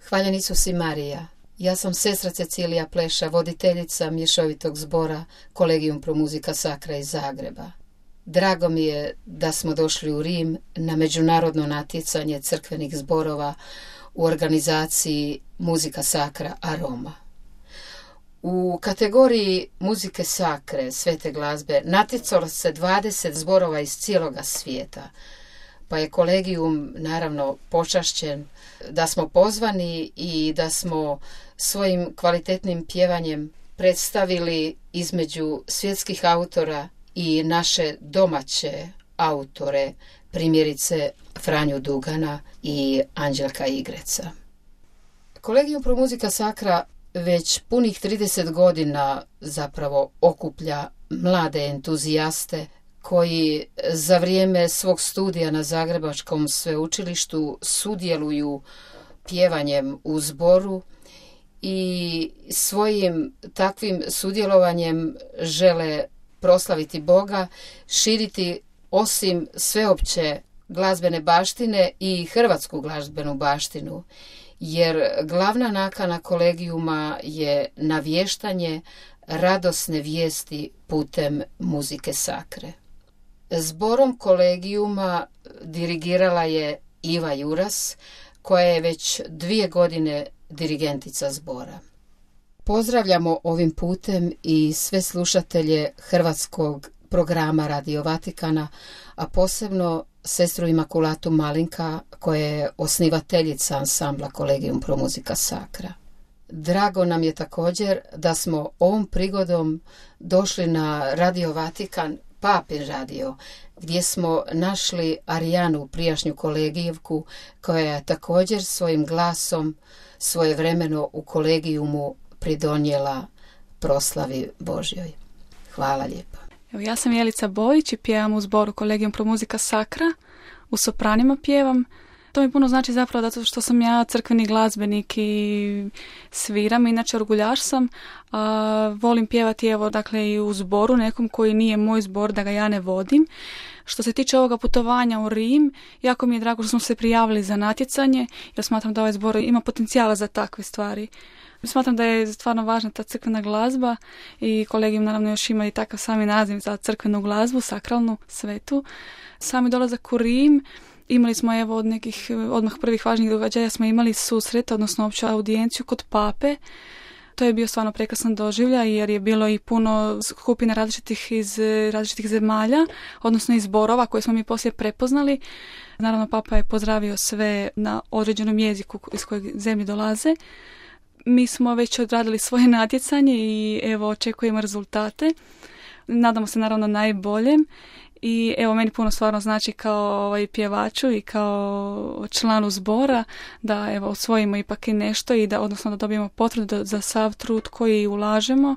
Hvaljen Isus i Marija. Ja sam sestra Cecilija Pleša, voditeljica mješovitog zbora Collegium Pro Musica Sacra iz Zagreba. Drago mi je da smo došli u Rim na međunarodno natjecanje crkvenih zborova u organizaciji Musica Sacra a Roma. U kategoriji muzike sakre, svete glazbe, natjecalo se 20 zborova iz cijeloga svijeta, pa je Collegium naravno počašćen da smo pozvani i da smo svojim kvalitetnim pjevanjem predstavili između svjetskih autora i naše domaće autore, primjerice Franju Dugana i Anđelka Igreca. Collegium Pro Musica Sacra već punih 30 godina zapravo okuplja mlade entuzijaste koji za vrijeme svog studija na Zagrebačkom sveučilištu sudjeluju pjevanjem u zboru i svojim takvim sudjelovanjem žele proslaviti Boga, širiti osim sveopće glazbene baštine i hrvatsku glazbenu baštinu, jer glavna nakana kolegijuma je navještanje radosne vijesti putem muzike sakre. Zborom kolegijuma dirigirala je Iva Juras, koja je već 2 godine dirigentica zbora. Pozdravljamo ovim putem i sve slušatelje hrvatskog programa Radio Vatikana, a posebno sestru Imakulatu Malinka, koja je osnivateljica ansambla Collegium Pro Musica Sacra. Drago nam je također da smo ovom prigodom došli na Radio Vatikan, Papin radio, gdje smo našli Arijanu, prijašnju kolegijevku, koja je također svojim glasom svojevremeno u kolegijumu pridonijela proslavi Božjoj. Hvala lijepo. Evo, ja sam Jelica Bojić i pjevam u zboru Collegium Pro Musica Sacra. U sopranima pjevam. To mi puno znači zapravo zato što sam ja crkveni glazbenik i sviram, inače orguljaš sam. Volim pjevati i u zboru nekom koji nije moj zbor, da ga ja ne vodim. Što se tiče ovoga putovanja u Rim, jako mi je drago što smo se prijavili za natjecanje, jer smatram da ovaj zbor ima potencijala za takve stvari. Smatram da je stvarno važna ta crkvena glazba i Collegium naravno još ima i takav sami naziv za crkvenu glazbu, sakralnu, svetu. Sami dolazak u Rim, imali smo od nekih odmah prvih važnih događaja smo imali susret, odnosno opću audijenciju kod pape. To je bio stvarno prekrasan doživljaj jer je bilo i puno skupina različitih iz različitih zemalja, odnosno iz zborova koje smo mi poslije prepoznali. Naravno, papa je pozdravio sve na određenom jeziku iz kojeg zemlje dolaze. Mi smo već odradili svoje natjecanje i očekujemo rezultate. Nadamo se naravno najboljem. I meni puno stvarno znači kao pjevaču i kao članu zbora da osvojimo ipak i nešto i da dobijemo potvrdu za sav trud koji ulažemo.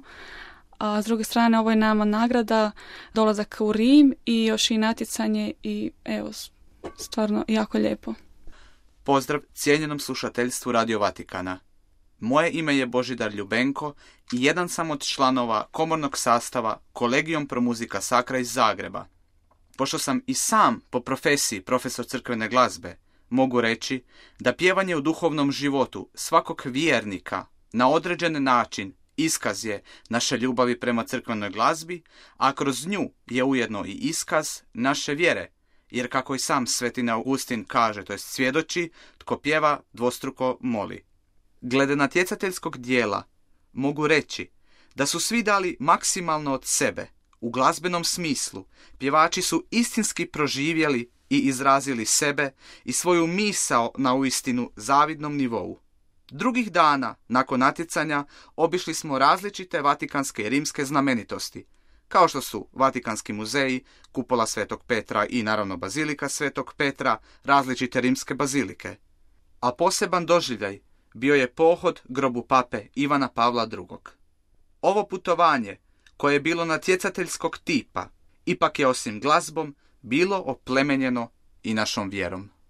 A s druge strane ovo je nama nagrada, dolazak u Rim i još i natjecanje i stvarno jako lijepo. Pozdrav cijenjenom slušateljstvu Radio Vatikana. Moje ime je Božidar Ljubenko i jedan sam od članova komornog sastava Collegium Pro Musica Sacra iz Zagreba. Pošto sam i sam po profesiji profesor crkvene glazbe, mogu reći da pjevanje u duhovnom životu svakog vjernika na određen način iskaz je naše ljubavi prema crkvenoj glazbi, a kroz nju je ujedno i iskaz naše vjere, jer kako i sam Sveti Augustin kaže, to jest svjedoči, tko pjeva dvostruko moli. Glede natjecateljskog dijela mogu reći da su svi dali maksimalno od sebe. U glazbenom smislu pjevači su istinski proživjeli i izrazili sebe i svoju misao na uistinu zavidnom nivou. Drugih dana, nakon natjecanja, obišli smo različite vatikanske i rimske znamenitosti, kao što su Vatikanski muzeji, kupola Svetog Petra i naravno Bazilika Svetog Petra, različite rimske bazilike. A poseban doživljaj bio je pohod grobu pape Ivana Pavla II. Ovo putovanje, koje je bilo natjecateljskog tipa, ipak je osim glazbom bilo oplemenjeno i našom vjerom.